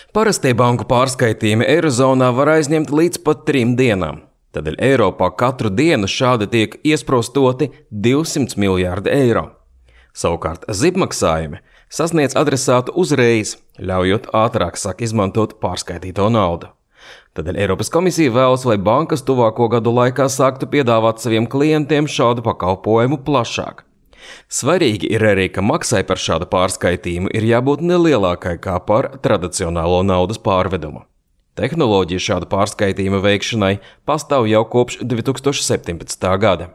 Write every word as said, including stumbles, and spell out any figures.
Parastie banku pārskaitījumi Eirozonā var aizņemt līdz pat trim dienām. Tādēļ Eiropā katru dienu šādi tiek iesprostoti divsimt miljārdi eiro. Savukārt zibmaksājumi sasniedz adresātu uzreiz, ļaujot ātrāk sāk izmantot pārskaitīto naudu. Tādēļ Eiropas komisija vēlas, lai bankas tuvāko gadu laikā sāktu piedāvāt saviem klientiem šādu pakalpojumu plašāk. Svarīgi ir arī, ka maksai par šādu pārskaitījumu ir jābūt nelielākai kā par tradicionālo naudas pārvedumu. Tehnoloģija šādu pārskaitījumu veikšanai pastāv jau kopš divi tūkstoši septiņpadsmitā gada.